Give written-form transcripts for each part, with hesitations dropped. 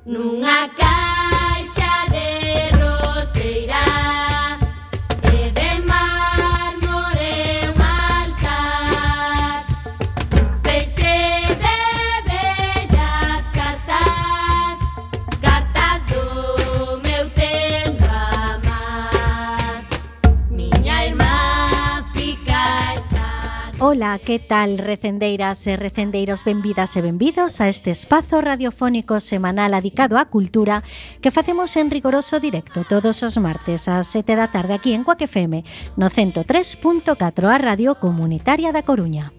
Nunha caixa de roseira de mármore un altar, feixe de bellas cartas, cartas do meu tempo amar. Miña irmá fica esta. Ola, que tal, recendeiras e recendeiros? Benvidas e benvidos a este espazo radiofónico semanal dedicado á cultura que facemos en rigoroso directo todos os martes ás 7 da tarde aquí en Cuac FM no 103.4, a Radio Comunitaria da Coruña.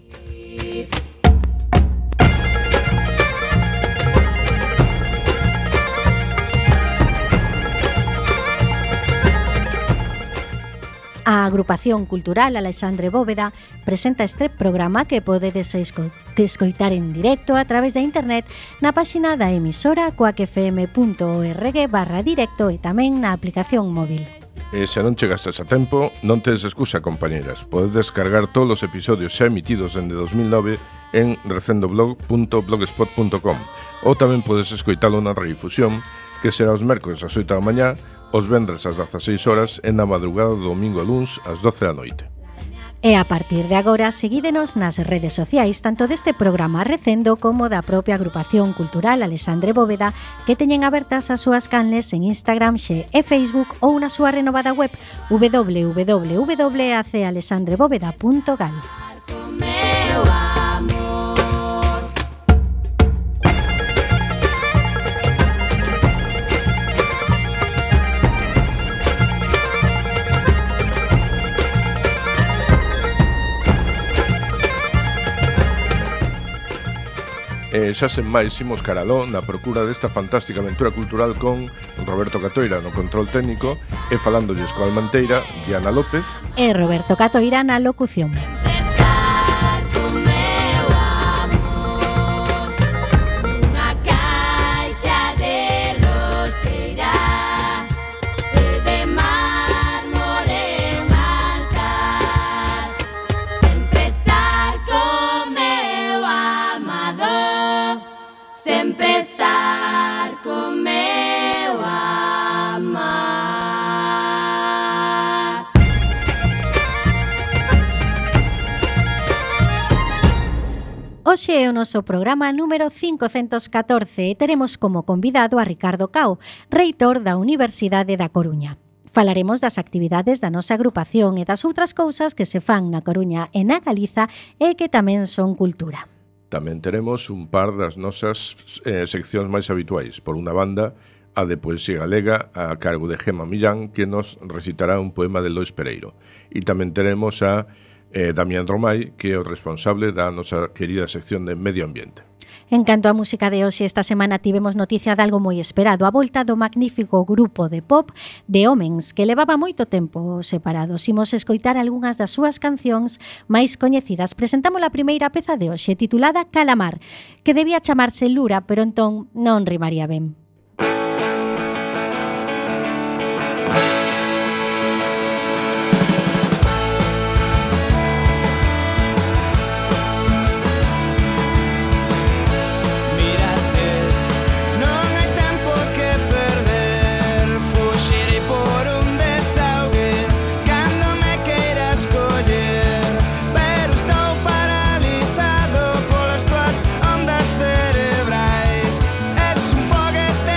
A Agrupación Cultural Alexandre Bóveda presenta este programa que podedes escoitar en directo a través de internet na páxina da emisora coacfm.org/directo e tamén na aplicación móvil. E se non chegastes a tempo, non tedes excusa, compañeras. Podes descargar todos os episodios xa emitidos dende 2009 en recendoblog.blogspot.com ou tamén podes escoitalo na redifusión, que será os mércores ás 8 da mañá, os vendres ás 16 horas e na madrugada do domingo a luns ás 12 da noite. E a partir de agora, seguídenos nas redes sociais tanto deste programa Recendo como da propia Agrupación Cultural Alexandre Bóveda, que teñen abertas as súas canles en Instagram, Xe e Facebook ou na súa renovada web www.acalexandrebóveda.gal. E xa sen máis imos caraló na procura desta fantástica aventura cultural con Roberto Catoira no control técnico e falándolles coa Almanteira, Diana López e Roberto Catoira na locución. Hoxe é o noso programa número 514 e teremos como convidado a Ricardo Cao, reitor da Universidade da Coruña. Falaremos das actividades da nosa agrupación e das outras cousas que se fan na Coruña e na Galiza e que tamén son cultura. Tamén teremos un par das nosas seccións máis habituais. Por unha banda, a de Poesía Galega a cargo de Gema Millán, que nos recitará un poema de Lois Pereiro. E tamén teremos a Damián Romai, que é o responsable da nosa querida sección de Medio Ambiente. En canto á música de hoxe, esta semana tivemos noticia de algo moi esperado, a volta do magnífico grupo de pop de Homens, que levaba moito tempo separados. Imos escoitar algunhas das súas cancións máis coñecidas. Presentamos a primeira peza de hoxe, titulada Calamar, que debía chamarse Lura, pero entón non rimaría ben. Paralizado polas tuas ondas cerebrais. Es un foguete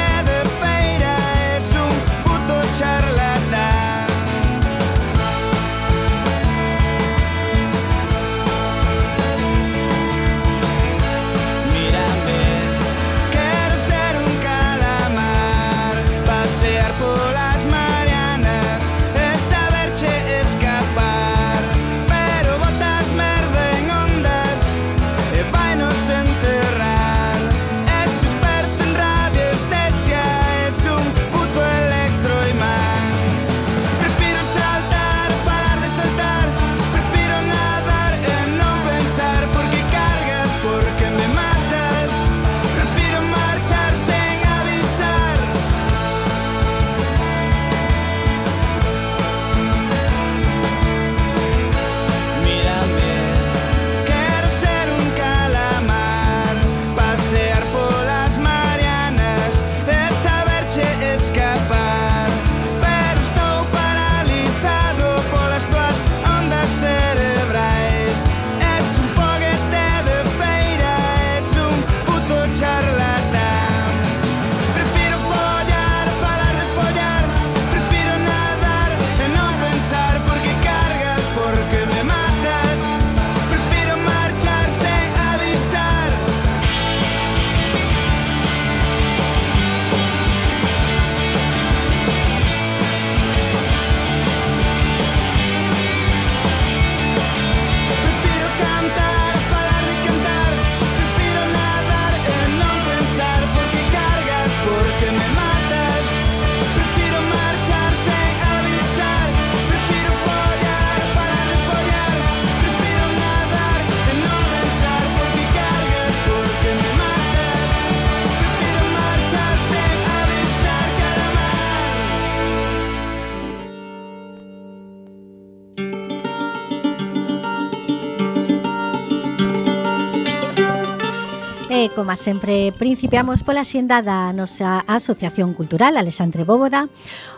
E, como sempre, principiamos pola xenda da nosa Asociación Cultural Alexandre Bóvoda.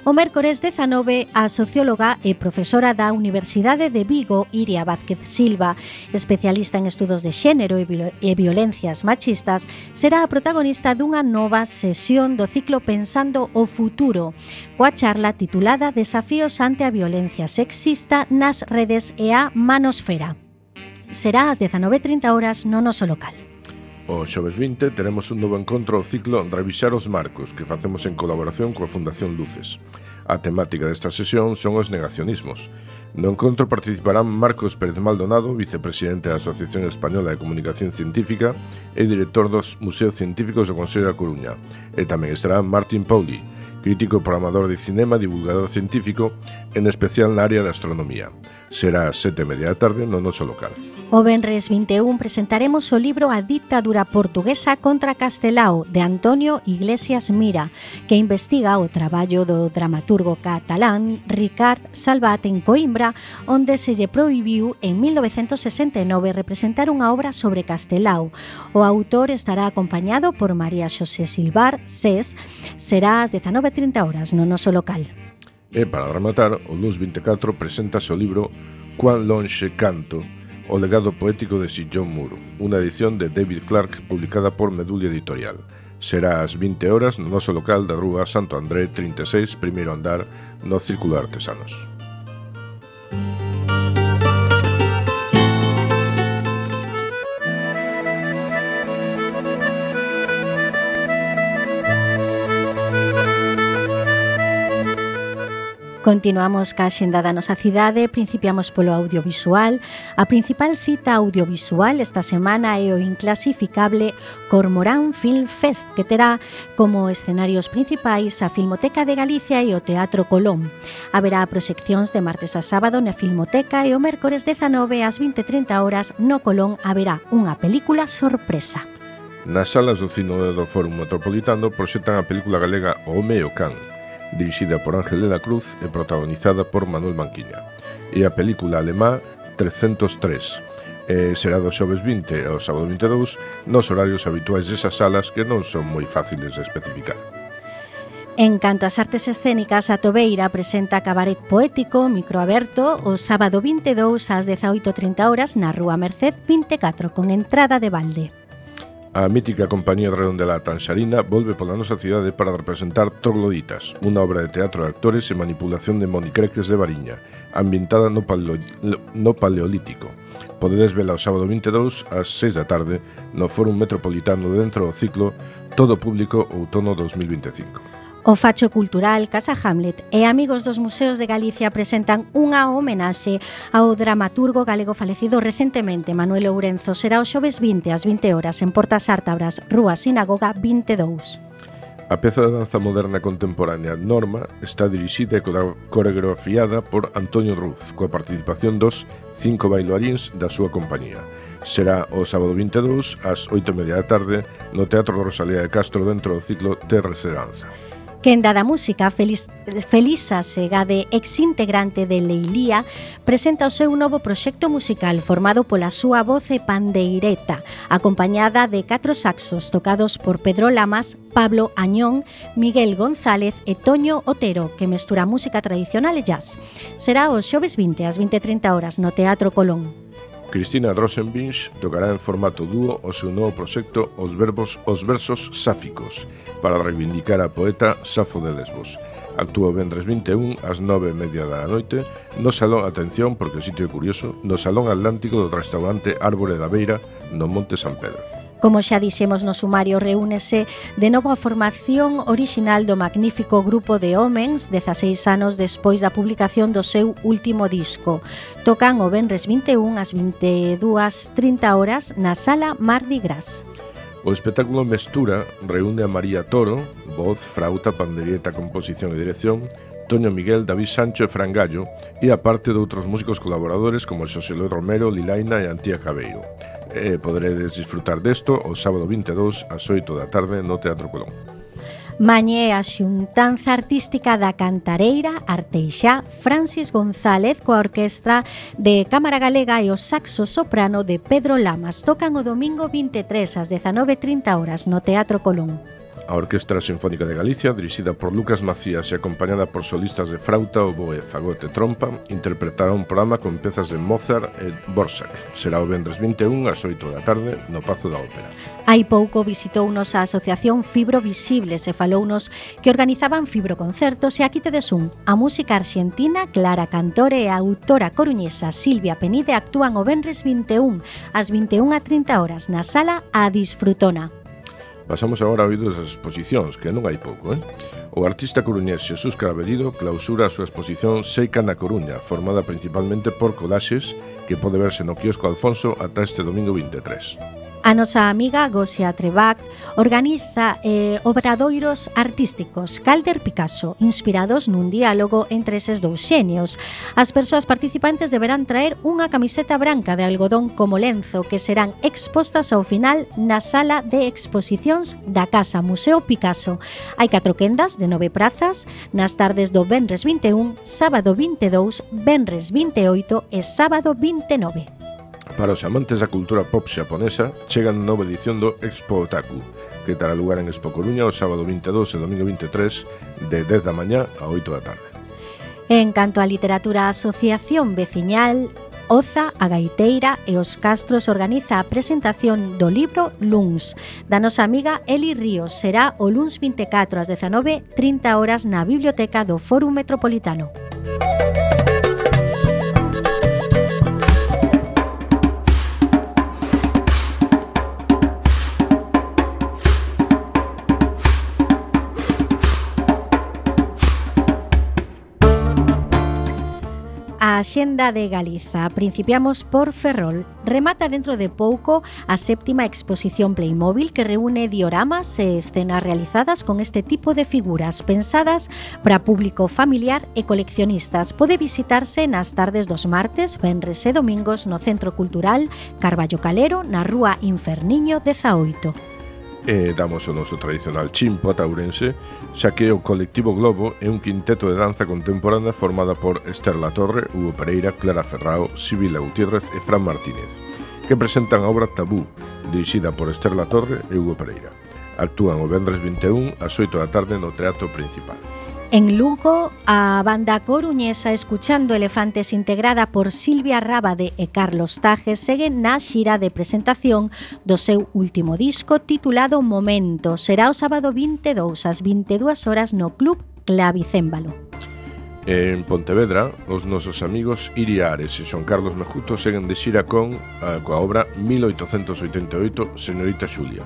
O mércores 19, a socióloga e profesora da Universidade de Vigo, Iria Vázquez Silva, especialista en estudos de xénero e violencias machistas, será a protagonista dunha nova sesión do ciclo Pensando o Futuro, coa charla titulada Desafíos ante a violencia sexista nas redes e a manosfera. Será ás 19:30 no noso local. O xoves 20 teremos un novo encontro ao ciclo Revisar os Marcos que facemos en colaboración coa Fundación Luces. A temática desta sesión son os negacionismos. No encontro participarán Marcos Pérez Maldonado, vicepresidente da Asociación Española de Comunicación Científica e director dos Museos Científicos do Consello da Coruña. E tamén estará Martín Pauli, crítico e programador de cinema, divulgador científico, en especial na área da astronomía. Será ás 7:30 da tarde no noso local. O venres 21 presentaremos o libro A dictadura portuguesa contra Castelao, de Antonio Iglesias Mira, que investiga o traballo do dramaturgo catalán Ricard Salvat en Coimbra, onde se lle prohibiu en 1969 representar unha obra sobre Castelao. O autor estará acompañado por María Xosé Silvar, SES, será ás 19:30 no noso local. E para rematar, o luns 24 preséntase o libro Cuán lonxe canto, o legado poético de Sir John Moore, unha edición de David Clark publicada por Medulia Editorial. Será ás 20 no noso local da Rúa Santo André 36, primeiro andar, no Círculo de Artesanos. Continuamos ca xenda da nosa cidade, principiamos polo audiovisual. A principal cita audiovisual esta semana é o inclasificable Cormorán Film Fest, que terá como escenarios principais a Filmoteca de Galicia e o Teatro Colón. Haberá proxeccións de martes a sábado na Filmoteca e o mércores 19 ás 20:30 no Colón haberá unha película sorpresa. Nas salas do cine do Fórum Metropolitano proxectan a película galega O home e o can, dirixida por Ángel de la Cruz e protagonizada por Manuel Manquiña. E a película alemá 303 será do xoves 20 ao sábado 22 nos horarios habituais desas salas que non son moi fáciles de especificar. En canto ás artes escénicas, a Tobeira presenta Cabaret Poético microaberto o sábado 22 ás 18:30 na Rúa Merced 24 con entrada de balde. A mítica compañía de Redondela Tanxarina volve pola nosa cidade para representar Trogloditas, unha obra de teatro de actores e manipulación de monicreques de Variña, ambientada no Paleolítico. Podedes vela o sábado 22 ás 6 da tarde no Fórum Metropolitano dentro do ciclo Todo Público Outono 2025. O Facho Cultural, Casa Hamlet e Amigos dos Museos de Galicia presentan unha homenaxe ao dramaturgo galego falecido recentemente, Manuel Ourenzo. Será o xoves 20 ás 20 en Portas Ártabras, Rúa Sinagoga 22. A peza de danza moderna contemporánea Norma está dirixida e coreografiada por Antonio Ruz, coa participación dos 5 bailarins da súa compañía. Será o sábado 22 ás 8:30 da tarde no Teatro Rosalía de Castro dentro do ciclo Terra Seranza. Quenda da música, Felisa Segade, ex-integrante de Leilía, presenta o seu novo proxecto musical formado pola súa voz e pandeireta, acompañada de 4 saxos tocados por Pedro Lamas, Pablo Añón, Miguel González e Toño Otero, que mestura música tradicional e jazz. Será os xoves 20 ás 20:30 no Teatro Colón. Cristina Rosenbinch tocará en formato dúo o seu novo proxecto Os versos sáficos, para reivindicar a poeta Safo de Lesbos. Actúa o venres 21 ás 9:30 da noite no Salón, atención porque o sitio é curioso, no Salón Atlántico do restaurante Árbore da Beira, no Monte San Pedro. Como xa dixemos no sumario, reúnese de novo a formación orixinal do magnífico grupo de Homens 16 anos despois da publicación do seu último disco. Tocan o venres 21 ás 22:30 na Sala Mardi Gras. O espectáculo Mestura reúne a María Toro, voz, frauta, pandereta, composición e dirección, Toño Miguel, David Sancho e Fran Gallo, e a parte de outros músicos colaboradores como Xosé Luis Romero, Lilaina e Antía Cabeiro. Poderedes disfrutar desto o sábado 22 ás 8 da tarde no Teatro Colón. Mañé a xuntanza artística da cantareira Arteixá Francis González coa orquestra de Cámara Galega e o saxo soprano de Pedro Lamas. Tocan o domingo 23 ás 19:30 no Teatro Colón. A Orquestra Sinfónica de Galicia, dirixida por Lucas Macías e acompañada por solistas de frauta, oboe, fagote e trompa, interpretará un programa con pezas de Mozart e Dvořák. Será o vendres 21 ás 8 da tarde no Pazo da Ópera. Hai pouco visitounos a Asociación Fibro Visibles e falounos que organizaban fibroconcertos, e aquí tedes un. A música arxentina, Clara Cantore e a autora coruñesa Silvia Penide actúan o vendres 21 ás 21:30 na sala A Disfrutona. Pasamos agora a oídos das exposicións, que non hai pouco, O artista coruñés Xesús Cravelido clausura a súa exposición Seica na Coruña, formada principalmente por collaxes que pode verse no quiosco Alfonso ata este domingo 23. A nosa amiga Gosia Trebach organiza obradoiros artísticos Calder Picasso, inspirados nun diálogo entre eses dous xenios. As persoas participantes deberán traer unha camiseta branca de algodón como lenzo que serán expostas ao final na sala de exposicións da Casa Museo Picasso. Hai 4 quendas de 9 prazas nas tardes do venres 21, sábado 22, venres 28 e sábado 29. Para os amantes da cultura pop xaponesa, chega a nova edición do Expo Otaku, que terá lugar en Expo Coruña o sábado 22 e domingo 23, de 10 da mañá a 8 da tarde. En canto á literatura, a Asociación Veciñal Oza, a Gaiteira e os Castros organiza a presentación do libro Luns, da nosa amiga Eli Ríos. Será o luns 24 ás 19:30 na Biblioteca do Fórum Metropolitano. A Axenda de Galiza. Principiamos por Ferrol. Remata dentro de pouco a 7ª exposición Playmobil, que reúne dioramas e escenas realizadas con este tipo de figuras pensadas para público familiar e coleccionistas. Pode visitarse nas tardes dos martes, venres e domingos no Centro Cultural Carballo Calero, na Rúa Inferniño 18. E damos o noso tradicional chimpo a Taurense, xa que o Colectivo Globo é un quinteto de danza contemporánea formada por Esther Latorre, Hugo Pereira, Clara Ferrao, Sibila Gutiérrez e Fran Martínez, que presentan a obra Tabú, dirixida por Esther Latorre e Hugo Pereira. Actúan o vendres 21 ás 8 da tarde no Teatro Principal. En Lugo, a banda coruñesa Escuchando Elefantes, integrada por Silvia Rábade e Carlos Tajes, segue na xira de presentación do seu último disco titulado Momento. Será o sábado 22 ás 22 no Club Clavicémbalo. En Pontevedra, os nosos amigos Iria Ares e Xoan Carlos Mejuto seguen de xira coa obra 1888, Señorita Xulia,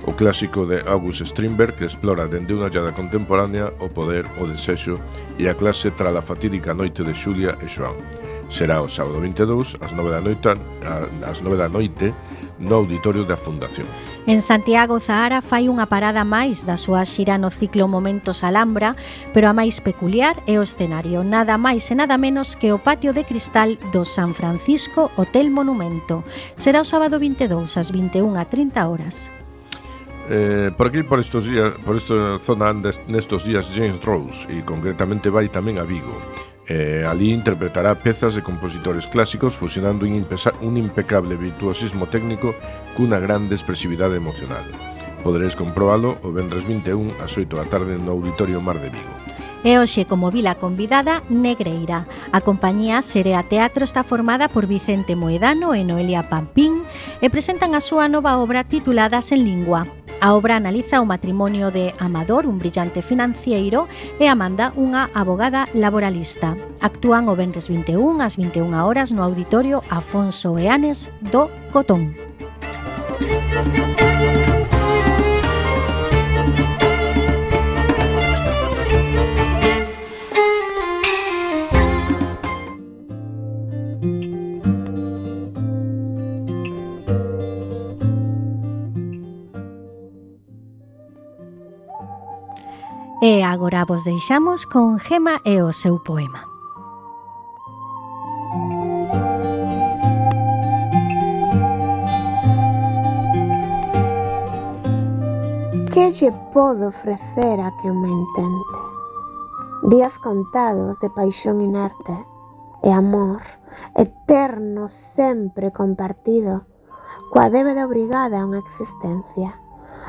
o clásico de August Strindberg, que explora dende unha ollada contemporánea o poder, o desexo e a clase tras a fatídica noite de Xulia e Xoan. Será o sábado 22 ás 9 da noite no auditorio da Fundación. En Santiago, Zahara fai unha parada máis da súa xira no ciclo Momentos Alhambra, pero a máis peculiar é o escenario, nada máis e nada menos que o patio de cristal do San Francisco Hotel Monumento. Será o sábado 22 ás 21:30. Por aquí, por esta zona nestos días James Rose, e concretamente vai tamén a Vigo. Ali interpretará pezas de compositores clásicos fusionando un impecable virtuosismo técnico cunha grande expresividade emocional. Poderéis comprobalo o vendres 21 ás 8 da tarde no Auditorio Mar de Vigo. E hoxe, como vila convidada, Negreira. A compañía Serea Teatro está formada por Vicente Moedano e Noelia Pampín e presentan a súa nova obra titulada Sen Lingua. A obra analiza o matrimonio de Amador, un brillante financieiro, e Amanda, unha abogada laboralista. Actúan o venres 21 ás 21 no Auditorio Afonso Eanes do Cotón. E agora vos deixamos con Gema e o seu poema. Que lle podo ofrecer a quen me intente? Días contados de paixón inerte e amor eterno sempre compartido, coa débeda obrigada a unha existencia,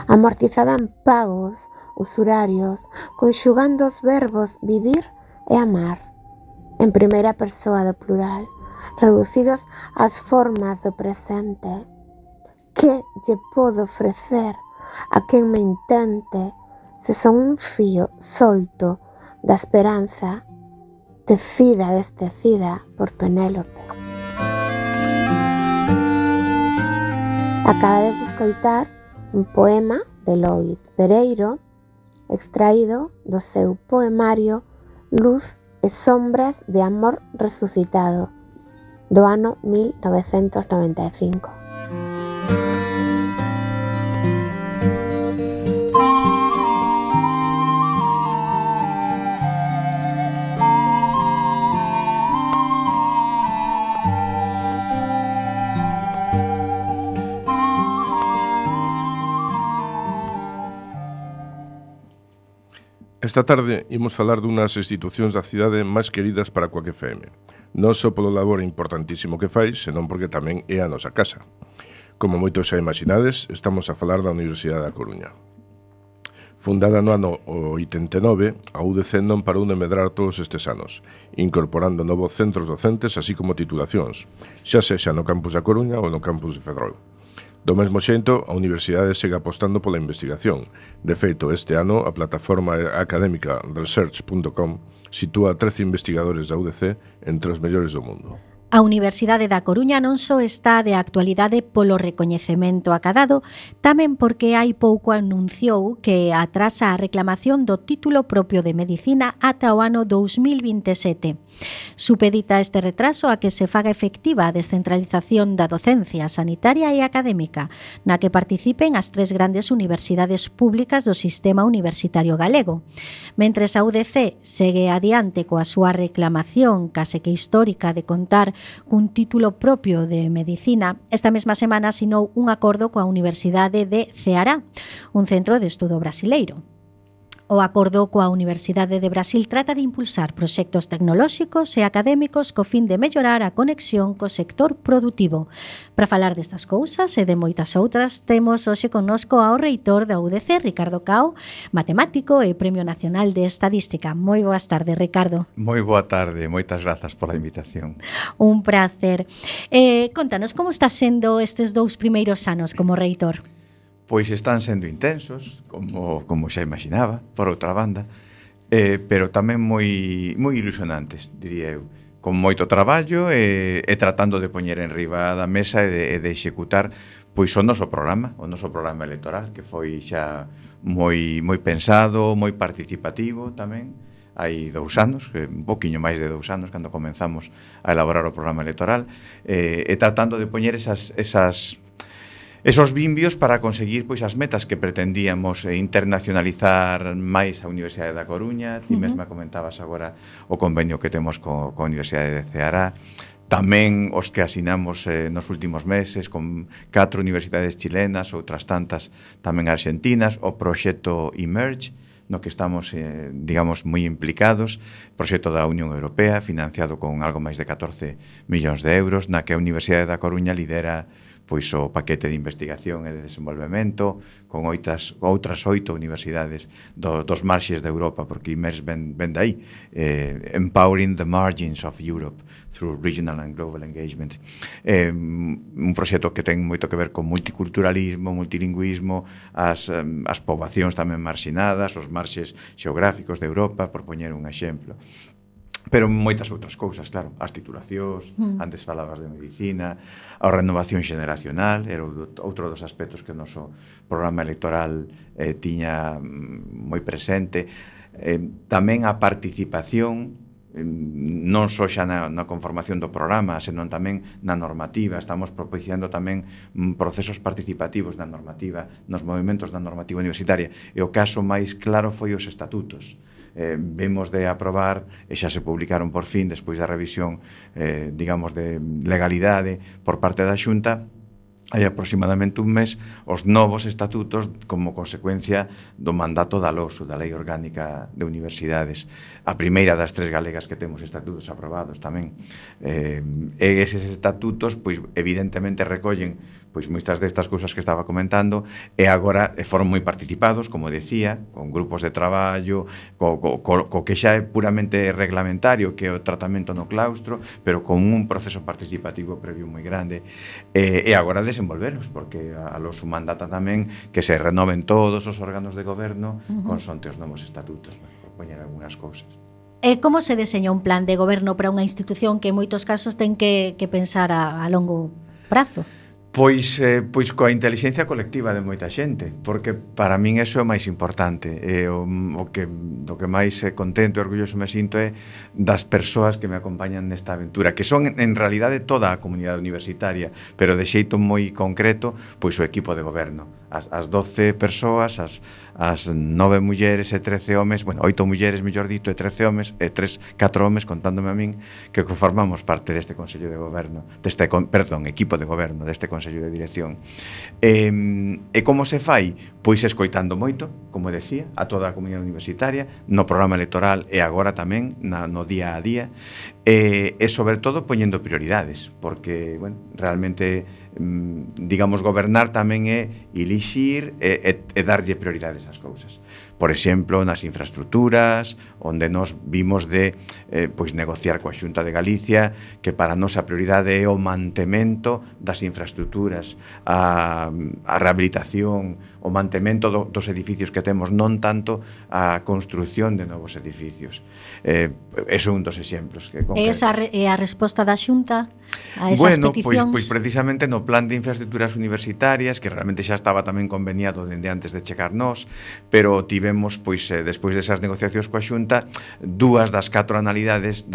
amortizada en pagos usurarios, conxugando os verbos vivir e amar, en primeira persoa do plural, reducidos ás formas do presente. Que lle podo ofrecer a quen me intente se son un fío solto da esperanza, tecida e destecida por Penélope? Acabades de escoitar un poema de Lois Pereiro, extraído do seu poemario Luz e sombras de amor resucitado, do ano 1995. Esta tarde imos falar dunhas institucións da cidade máis queridas para Coac FM. Non só polo labor importantísimo que fai, senón porque tamén é a nosa casa. Como moitos xa imaginades, estamos a falar da Universidade da Coruña. Fundada no ano 89, a UDC non parou de medrar todos estes anos, incorporando novos centros docentes así como titulacións, xa sexa no campus da Coruña ou no campus de Ferrol. Do mesmo xeito, a Universidade segue apostando pola investigación. De feito, este ano, a plataforma académica research.com sitúa 13 investigadores da UDC entre os mellores do mundo. A Universidade da Coruña non só está de actualidade polo recoñecemento acadado, tamén porque hai pouco anunciou que atrasa a reclamación do título propio de Medicina ata o ano 2027. Supedita este retraso a que se faga efectiva a descentralización da docencia sanitaria e académica, na que participen as 3 grandes universidades públicas do sistema universitario galego. Mentres a UDC segue adiante coa súa reclamación case que histórica de contar cun título propio de Medicina, esta mesma semana asinou un acordo coa Universidade de Ceará, un centro de estudo brasileiro. O acordo coa Universidade de Brasil trata de impulsar proxectos tecnolóxicos e académicos co fin de mellorar a conexión co sector produtivo. Para falar destas cousas e de moitas outras, temos hoxe connosco ao reitor da UDC, Ricardo Cao, matemático e Premio Nacional de Estadística. Moi boas tardes, Ricardo. Moi boa tarde, moitas grazas pola invitación. Un prazer. Contanos, como está sendo estes 2 primeiros anos como reitor? Pois están sendo intensos, como xa imaginaba, por outra banda, pero tamén moi ilusionantes, diría eu, con moito traballo e tratando de poñer en riba da mesa e de executar pois o noso programa electoral, que foi xa moi pensado, moi participativo tamén. Hai 2 anos, un poquinho máis de 2 anos, cando comenzamos a elaborar o programa electoral, e tratando de poñer esos vimbios para conseguir pois as metas que pretendíamos internacionalizar máis a Universidade da Coruña. Ti mesma comentabas agora o convenio que temos coa Universidade de Ceará, tamén os que asinamos nos últimos meses con 4 universidades chilenas, outras tantas tamén argentinas, o proxecto Emerge, no que estamos, digamos, moi implicados, proxecto da Unión Europea, financiado con algo máis de 14 millóns de euros, na que a Universidade da Coruña lidera pois o paquete de investigación e de desenvolvemento con outras 8 universidades dos marxes de Europa, porque IMERS ven de aí, Empowering the Margins of Europe through Regional and Global Engagement. Un proxecto que ten moito que ver con multiculturalismo, multilingüismo, as poboacións tamén marxinadas, os marxes xeográficos de Europa, por poñer un exemplo. Pero moitas outras cousas, claro, as titulacións, antes falabas de medicina, a renovación xeneracional, era outro dos aspectos que o noso programa electoral tiña moi presente, tamén a participación, non só xa na conformación do programa, senón tamén na normativa. Estamos propiciando tamén procesos participativos na normativa, nos movimentos da normativa universitaria, e o caso máis claro foi os estatutos. Vemos de aprobar, e xa se publicaron por fin, despois da revisión, digamos, de legalidade por parte da Xunta, hai aproximadamente un mes, os novos estatutos como consecuencia do mandato da LOSU, da Lei Orgánica de Universidades, a primeira das 3 galegas que temos estatutos aprobados tamén. E eses estatutos, pois, evidentemente recollen pois moitas destas cousas que estaba comentando, e agora foron moi participados, como decía, con grupos de traballo, co que xa é puramente reglamentario, que é o tratamento no claustro, pero con un proceso participativo previo moi grande, e agora desenvolveros, porque a LOSU mandata tamén que se renoven todos os órganos de goberno con sonte os novos estatutos, por poñer algunhas cousas. E como se deseña un plan de goberno para unha institución que en moitos casos ten que pensar a longo prazo? Pois coa intelixencia colectiva de moita xente, porque para min eso é o máis importante, do que máis contento e orgulloso me sinto é das persoas que me acompañan nesta aventura, que son en realidade toda a comunidade universitaria, pero de xeito moi concreto, pois o equipo de goberno, as 12 persoas, as 9 mulleres e 13 homes, bueno, 8 mulleres, mellor dito, e 13 homes, e 4 homes, contándome a min, que formamos parte deste Consello de Goberno, equipo de goberno deste Consello de Dirección. E como se fai? Pois escoitando moito, como decía, a toda a comunidade universitaria, no programa electoral e agora tamén no día a día, e sobre todo poñendo prioridades, porque, bueno, realmente digamos, gobernar tamén é elixir e darlle prioridades ás cousas. Por exemplo, nas infraestructuras, onde nos vimos de pois negociar coa Xunta de Galicia que para a nosa prioridade é o mantemento das infraestructuras, a rehabilitación, o mantemento dos edificios que temos, non tanto a construción de novos edificios. Eso é un dos exemplos que concretos. E esa é a resposta da Xunta a esas peticións? Pois precisamente no plan de infraestructuras universitarias, que realmente xa estaba tamén conveniado dende antes de chegar nós, pero tivemos, pois, despois desas negociacións coa Xunta, 2 das 4 anualidades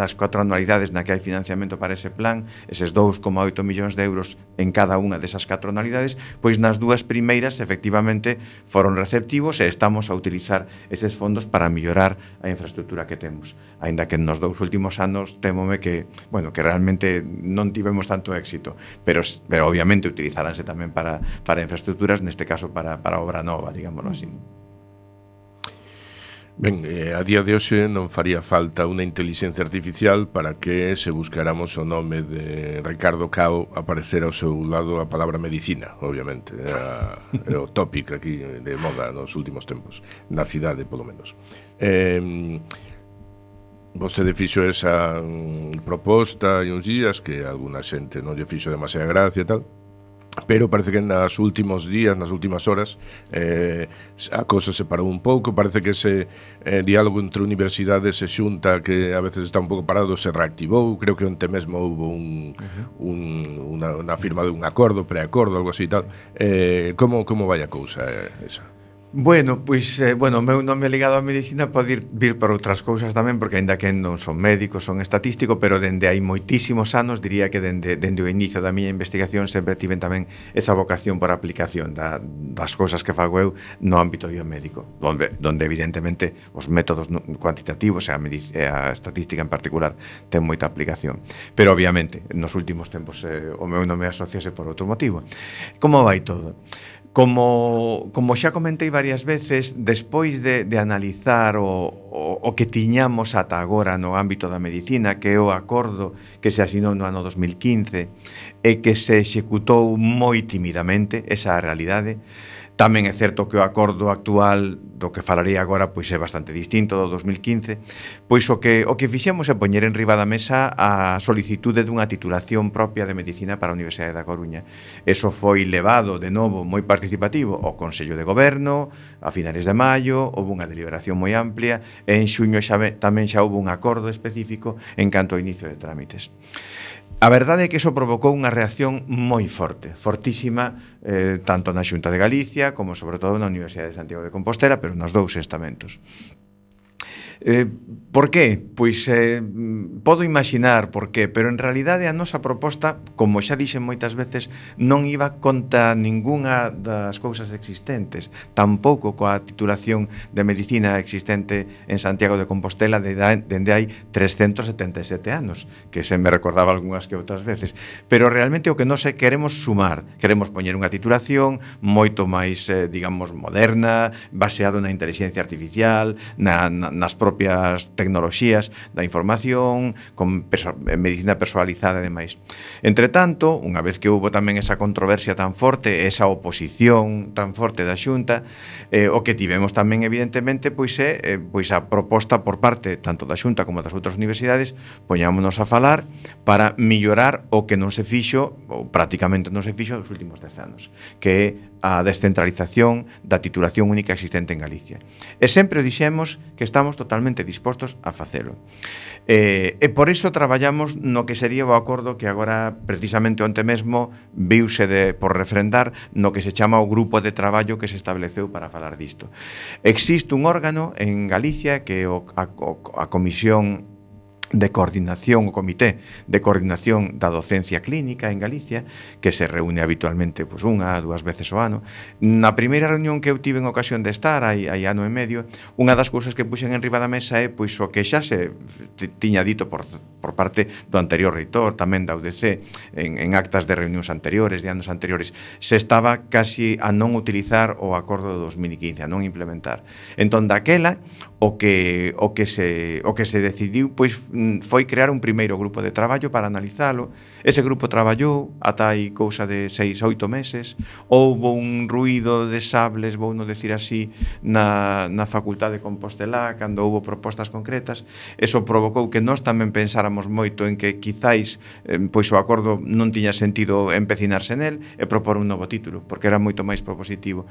na que hai financiamento para ese plan, eses 2,8 millóns de euros en cada unha desas 4 anualidades, pois nas 2 primeiras, efectivamente, foron receptivos e estamos a utilizar eses fondos para mellorar a infraestructura que temos. Aínda que nos 2 últimos anos temome que, bueno, que realmente non tivemos tanto éxito, pero obviamente utilizaránse tamén para infraestructuras, neste caso para obra nova, digámoslo así. Ben, a día de hoxe non faría falta unha inteligencia artificial para que se buscáramos o nome de Ricardo Cao aparecer ao seu lado a palabra medicina, obviamente. É o tópico aquí de moda nos últimos tempos, na cidade, polo menos. Vostede fixo esa proposta e uns días que a alguna xente non lle fixo demasiada gracia e tal, pero parece que nas últimos días, nas últimas horas, a cousa se parou un pouco. Parece que ese diálogo entre universidades e Xunta, que a veces está un pouco parado, se reactivou. Creo que onte mesmo houve unha firma de un acordo, preacordo, algo así e tal. Como vai a cousa esa? Bueno, pois, o meu nome ligado á medicina pode vir por outras cousas tamén, porque aínda que non son médico, son estatístico, pero dende hai moitísimos anos, diría que dende o inicio da miña investigación sempre tiven tamén esa vocación por aplicación das cousas que fago eu no ámbito biomédico, donde evidentemente os métodos cuantitativos e a estatística en particular ten moita aplicación. Pero obviamente, nos últimos tempos o meu nome asociase por outro motivo. Como vai todo? Como xa comentei varias veces, despois de analizar o que tiñamos ata agora no ámbito da medicina, que é o acordo que se asinou no ano 2015 e que se executou moi timidamente, esa é a realidade. Tamén é certo que o acordo actual do que falarei agora pois é bastante distinto do 2015, pois o que fixemos é poñer en riba da mesa a solicitude dunha titulación propia de medicina para a Universidade da Coruña. Eso foi levado de novo moi participativo ao Consello de Goberno a finales de maio, houve unha deliberación moi amplia e en xuño tamén xa houve un acordo específico en canto ao inicio de trámites. A verdade é que iso provocou unha reacción moi forte, fortísima, tanto na Xunta de Galicia como sobre todo na Universidade de Santiago de Compostela, pero nos 2 estamentos. Por qué? Pois podo imaginar por qué, pero en realidade a nosa proposta, como xa dixen moitas veces, non iba contra ningunha das cousas existentes, tampouco coa titulación de medicina existente en Santiago de Compostela dende hai 377 anos, que se me recordaba algunhas que outras veces, pero realmente o que nós queremos sumar, queremos poñer unha titulación moito máis, digamos, moderna, baseado na inteligencia artificial, nas propias tecnoloxías da información, con medicina personalizada e demais. Entre tanto, unha vez que houve tamén esa controversia tan forte, esa oposición tan forte da Xunta, o que tivemos tamén, evidentemente, pois é a proposta por parte tanto da Xunta como das outras universidades, poñámonos a falar para millorar o que non se fixo, ou prácticamente non se fixo nos últimos 10 anos, que é a descentralización da titulación única existente en Galicia. E sempre o dixemos que estamos totalmente dispostos a facelo. E por iso traballamos no que sería o acordo que agora, precisamente onte mesmo, viuse por refrendar no que se chama o grupo de traballo que se estableceu para falar disto. Existe un órgano en Galicia que é a Comisión de Coordinación, o Comité de Coordinación da Docencia Clínica en Galicia, que se reúne habitualmente pois, 1 a 2 veces ao ano. Na primeira reunión que eu tive en ocasión de estar, hai ano e medio, unha das cousas que puxen en riba da mesa é pois, o que xa se tiña dito por parte do anterior reitor, tamén da UDC, en actas de reunións anteriores, de anos anteriores, se estaba casi a non utilizar o acordo de 2015, a non implementar. Entón, daquela, o que se decidiu pois foi crear un primeiro grupo de traballo para analizalo. Ese grupo traballou ata hai cousa de 6-8 meses. Houbo un ruído de sables, vou non decir así, na Facultade de Compostela, cando houbo propostas concretas. Eso provocou que nós tamén pensáramos moito en que quizáis pois o acordo non tiña sentido empecinarse nel e propor un novo título, porque era moito máis propositivo.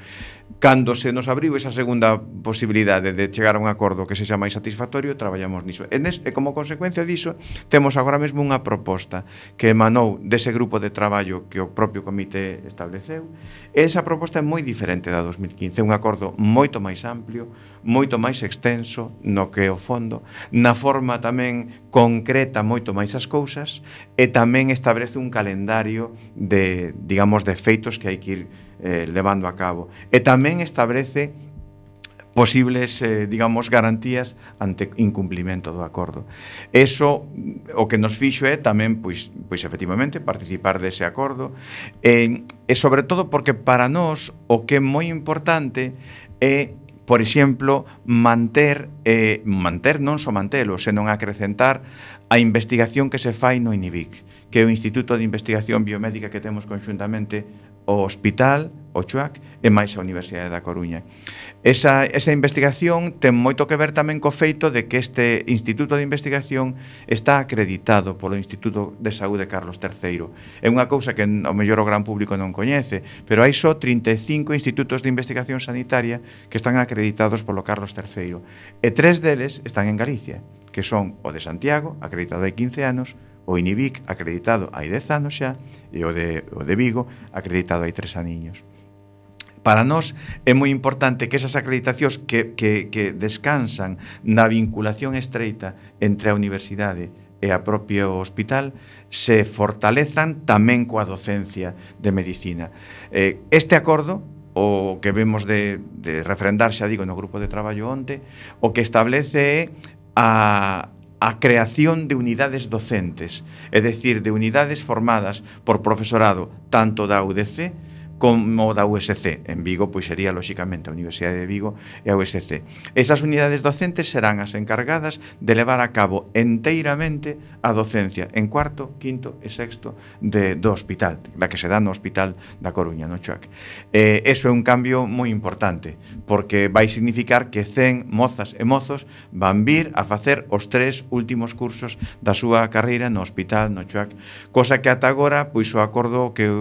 Cando se nos abriu esa segunda posibilidade de chegar a un acordo que sexa máis satisfactorio, traballamos niso. E como consecuencia diso, temos agora mesmo unha proposta que emanou dese grupo de traballo que o propio comité estableceu. E esa proposta é moi diferente da 2015, é un acordo moito máis amplio, moito máis extenso no que é o fondo, na forma tamén concreta moito máis as cousas, e tamén establece un calendario de, digamos, de feitos que hai que ir levando a cabo. E tamén establece posibles, digamos, garantías ante incumplimento do acordo. Eso o que nos fixo é tamén, pois efectivamente, participar dese acordo, e sobre todo porque para nós o que é moi importante é, por exemplo, manter non só mantelo, senón acrecentar a investigación que se fai no INIBIC, que é o Instituto de Investigación Biomédica que temos conxuntamente o Hospital, o CHUAC e máis a Universidade da Coruña. Esa investigación ten moito que ver tamén co feito de que este Instituto de Investigación está acreditado polo Instituto de Saúde Carlos III. É unha cousa que ao mellor o gran público non coñece, pero hai só 35 institutos de investigación sanitaria que están acreditados polo Carlos III. E 3 deles están en Galicia, que son o de Santiago, acreditado hai 15 anos, o INIBIC, acreditado hai 10 anos xa, e o de Vigo, acreditado hai 3 aniños. Para nós é moi importante que esas acreditacións que descansan na vinculación estreita entre a universidade e a propio hospital se fortalezan tamén coa docencia de medicina. Este acordo, o que vemos de refrendar, xa digo, no grupo de traballo onte, o que establece é a creación de unidades docentes, é dicir, de unidades formadas por profesorado tanto da UDC como da USC. En Vigo, pois sería, lóxicamente, a Universidade de Vigo e a USC. Esas unidades docentes serán as encargadas de levar a cabo enteiramente a docencia en cuarto, quinto e sexto do hospital, da que se dá no Hospital da Coruña, no CHUAC. Eso é un cambio moi importante, porque vai significar que 100 mozas e mozos van vir a facer os 3 últimos cursos da súa carreira no hospital, no CHUAC, cosa que ata agora, pois o acordo o que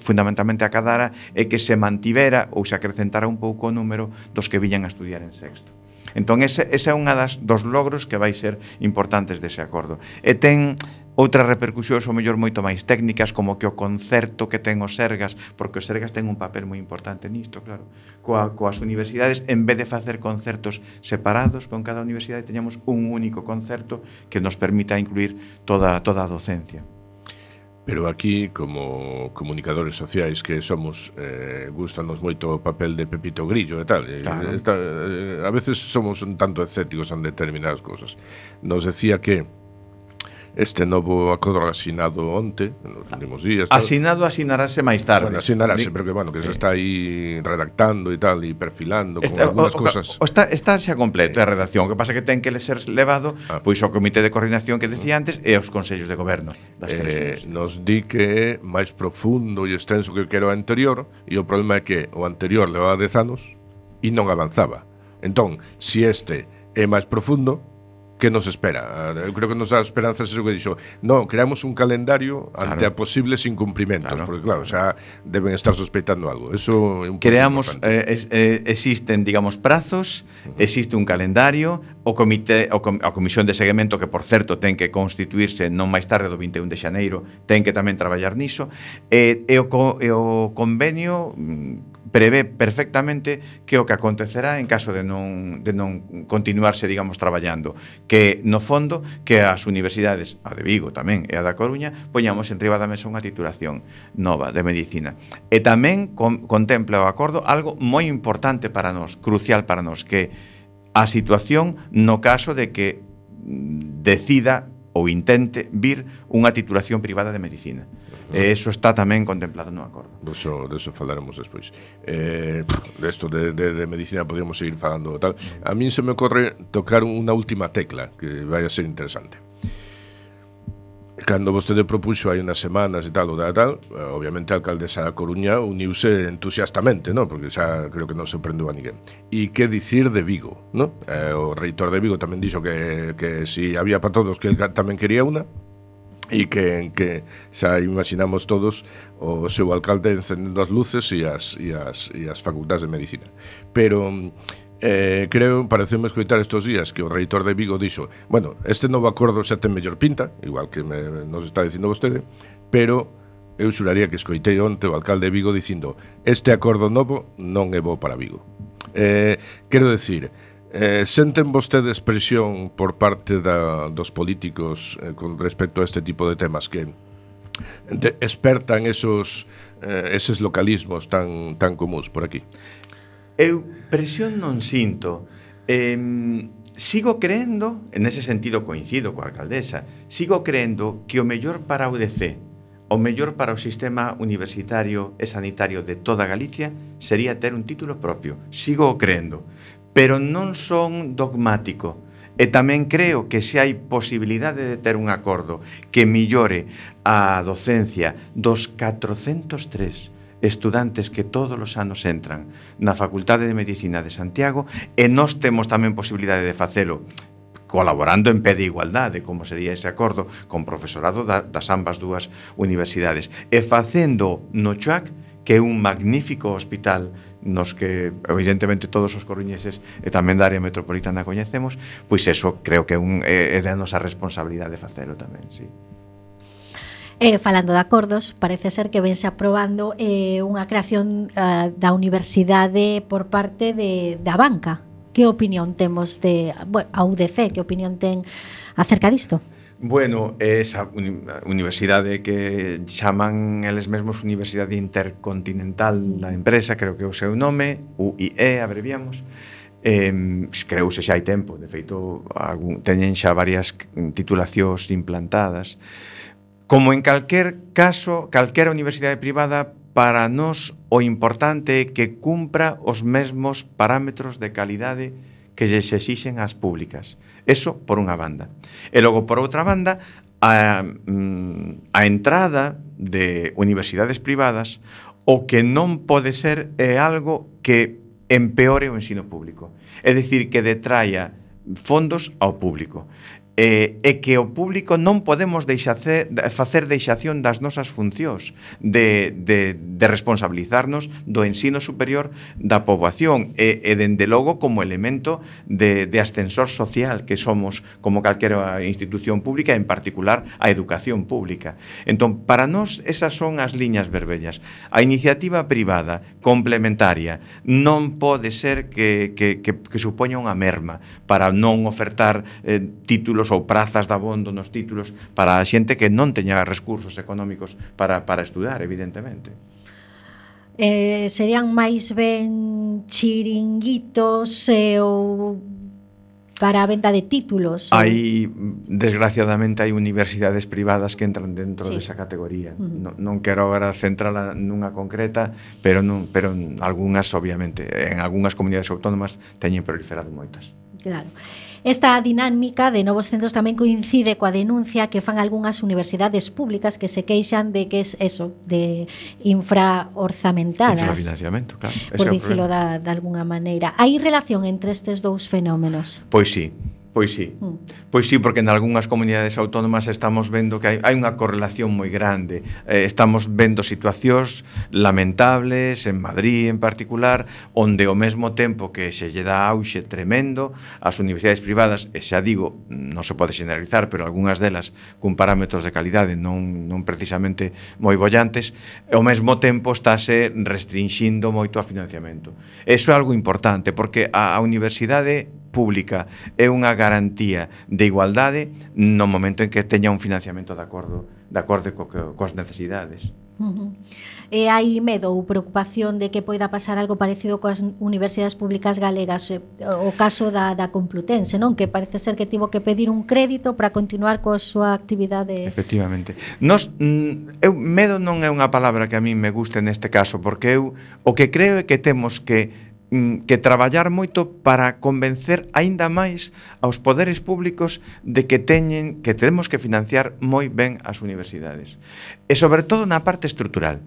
fundamentalmente acadara é que se mantivera ou se acrecentara un pouco o número dos que viñan a estudiar en sexto. Entón, ese é unha dos logros que vai ser importantes dese acordo. E ten outras repercusións ao mellor moito máis técnicas, como que o concerto que ten os Sergas, porque os Sergas ten un papel moi importante nisto, claro, coas universidades, en vez de facer concertos separados con cada universidade, teñamos un único concerto que nos permita incluir toda a docencia. Pero aquí, como comunicadores sociais que somos, gustanos moito o papel de Pepito Grillo e tal. Claro. A veces somos un tanto escépticos en determinadas cosas. Nos decía que este novo acordo asinado onte, nos últimos días... Asinarase máis tarde. Bueno, asinarase, pero que, bueno, que se está aí redactando e tal, e perfilando con algunas cosas. Está xa completo a redacción, o que pasa que ten que ser levado pois ao comité de coordinación que decía antes e aos consellos de goberno das tres. Nos di que é máis profundo e extenso que o anterior, e o problema é que o anterior levaba 10 anos e non avanzaba. Entón, se este é máis profundo, que nos espera? Eu creo que nos dá esperanzas eso que dixo. Non, creamos un calendario ante a posibles incumprimentos, porque claro, xa deben estar sospeitando algo. Eso é un creamos existen, digamos, prazos, existe un calendario, a comisión de seguimento que, por certo, ten que constituirse non máis tarde do 21 de xaneiro, ten que tamén traballar niso, e o convenio prevé perfectamente que o que acontecerá en caso de non continuarse, digamos, traballando, que no fondo que as universidades, a de Vigo tamén e a da Coruña, poñamos en riba da mesa unha titulación nova de medicina. E tamén contempla o acordo algo moi importante para nós, crucial para nós, que a situación no caso de que decida ou intente vir unha titulación privada de medicina. Eso está tamén contemplado no acordo. Deso falaremos despois. Desto de medicina podríamos seguir falando tal. A mí se me ocorre tocar unha última tecla que vai a ser interesante. Cando vostede propuxo hai unas semanas e tal, obviamente a alcaldesa da Coruña uniuse entusiastamente, ¿no? Porque xa creo que non sorprendeu a ninguén. E que dicir de Vigo, ¿no? O reitor de Vigo tamén dixo que si había para todos, que el tamén quería una, e que xa imaginamos todos o seu alcalde encendendo as luces e as facultades de medicina. Pero pareceume escoitar estes días que o reitor de Vigo dixo, bueno, este novo acordo xa ten mellor pinta, igual que nos está dicindo vostede, pero eu xuraría que escoitei onte o alcalde de Vigo dicindo, este acordo novo non é bo para Vigo. Quero decir, senten vostedes presión por parte dos políticos con respecto a este tipo de temas que espertan eses localismos tan comuns por aquí? Eu presión non sinto. Sigo creendo, en ese sentido coincido coa alcaldesa, sigo creendo que o mellor para a UDC, o mellor para o sistema universitario e sanitario de toda Galicia sería ter un título propio. Sigo creendo, pero non son dogmático. E tamén creo que se hai posibilidade de ter un acordo que millore a docencia dos 403 estudantes que todos os anos entran na Facultade de Medicina de Santiago, e nós temos tamén posibilidade de facelo colaborando en pé de igualdade, como sería ese acordo con profesorado das ambas dúas universidades, e facendo no CHUAC, que é un magnífico hospital nos que evidentemente todos os coruñeses e tamén da área metropolitana coñecemos, pois eso creo que é da nosa responsabilidade facelo tamén, sí. Falando de acordos, parece ser que vense aprobando unha creación da universidade por parte da banca. Que opinión temos a UDC? Que opinión ten acerca disto? Bueno, esa universidade que chaman eles mesmos Universidade Intercontinental da empresa, creo que é o seu nome, UIE, abreviamos, creouse xa hai tempo, de feito teñen xa varias titulacións implantadas. Como en calquer caso, calquera universidade privada, para nós o importante é que cumpra os mesmos parámetros de calidade que lles exixen as públicas. Eso por unha banda. E logo, por outra banda, a entrada de universidades privadas, o que non pode ser é algo que empeore o ensino público. É dicir, que detraia fondos ao público. e que o público non podemos facer deixación das nosas funcións de responsabilizarnos do ensino superior da poboación e dende logo como elemento de ascensor social que somos como calquera institución pública, en particular a educación pública. Entón, para nós esas son as liñas vermellas. A iniciativa privada complementaria non pode ser que supoña unha merma para non ofertar títulos ou prazas de abondo nos títulos para a xente que non teña recursos económicos para estudar, evidentemente. Serían máis ben chiringuitos ou para a venda de títulos? Desgraciadamente, hai universidades privadas que entran dentro desa categoría. Non quero agora centrala nunha concreta, pero algunhas, obviamente, en algunhas comunidades autónomas teñen proliferado moitas. Claro. Esta dinámica de novos centros tamén coincide coa denuncia que fan algunhas universidades públicas que se queixan de que é eso, de infraorzamentadas. Infrafinanciamento, claro. Por dicilo de alguna maneira. Hai relación entre estes dous fenómenos? Pois sí. Pois sí, porque en algunhas comunidades autónomas estamos vendo que hai unha correlación moi grande. Estamos vendo situacións lamentables en Madrid en particular, onde ao mesmo tempo que se lle dá auxe tremendo ás universidades privadas, e xa digo, non se pode generalizar, pero algunhas delas cun parámetros de calidade non precisamente moi bollantes, e ao mesmo tempo estáse restringindo moito a financiamento. Eso é algo importante, porque a universidade pública é unha garantía de igualdade no momento en que teña un financiamento de acordo coas necesidades. E hai medo ou preocupación de que poida pasar algo parecido coas universidades públicas galegas, o caso da Complutense, non? Que parece ser que tivo que pedir un crédito para continuar coa súa actividade. Efectivamente. Medo non é unha palabra que a mí me guste neste caso, porque eu o que creo é que temos que traballar moito para convencer aínda máis aos poderes públicos de que temos que financiar moi ben as universidades. E sobre todo na parte estrutural.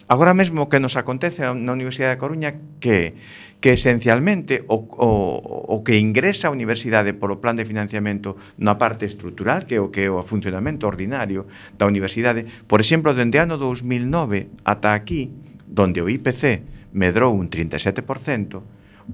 Agora mesmo o que nos acontece na Universidade da Coruña que esencialmente o que ingresa a universidade polo plan de financiamento na parte estrutural, que é o funcionamento ordinario da universidade, por exemplo, dende ano 2009 ata aquí, donde o IPC medrou un 37%,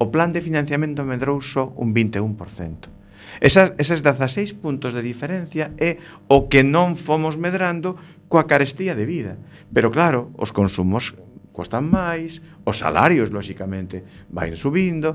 o plan de financiamento medrou só un 21%. Eses 16 puntos de diferencia é o que non fomos medrando coa carestía de vida. Pero claro, os consumos costan máis, os salarios, lóxicamente, van subindo.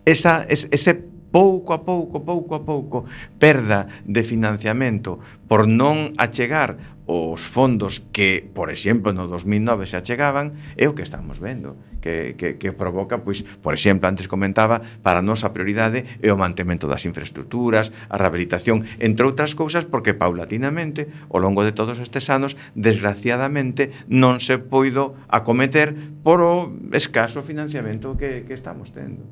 Ese pouco a pouco perda de financiamento por non achegar os fondos que, por exemplo, no 2009 se achegaban, é o que estamos vendo, que provoca, pois, por exemplo, antes comentaba, para a nosa prioridade é o mantemento das infraestructuras, a rehabilitación, entre outras cousas, porque paulatinamente, ao longo de todos estes anos, desgraciadamente, non se poido acometer por o escaso financiamento que estamos tendo.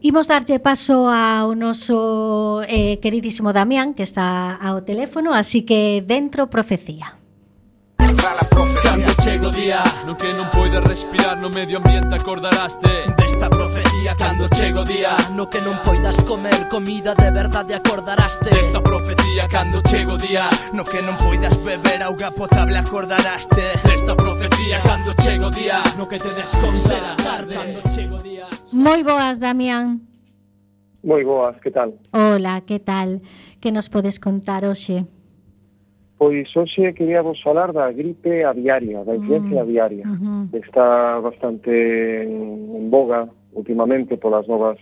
Imos darlle paso ao noso queridísimo Damián, que está ao teléfono, así que dentro profecía. Cando chego día no que non poidas respirar no medio ambiente acordaraste desta profecía. Cando chego día no que non poidas comer comida de verdade acordaraste desta profecía. Cando chego día no que non poidas beber auga potable acordaraste desta profecía. Cando chego día no que te desconserá tarde. Cando chego día. Moi boas, Damián. Moi boas, que tal? Hola, que tal? Que nos podes contar hoxe? Pois hoxe queríamos falar da gripe aviaria, da influencia aviaria. Está bastante en boga últimamente polas novas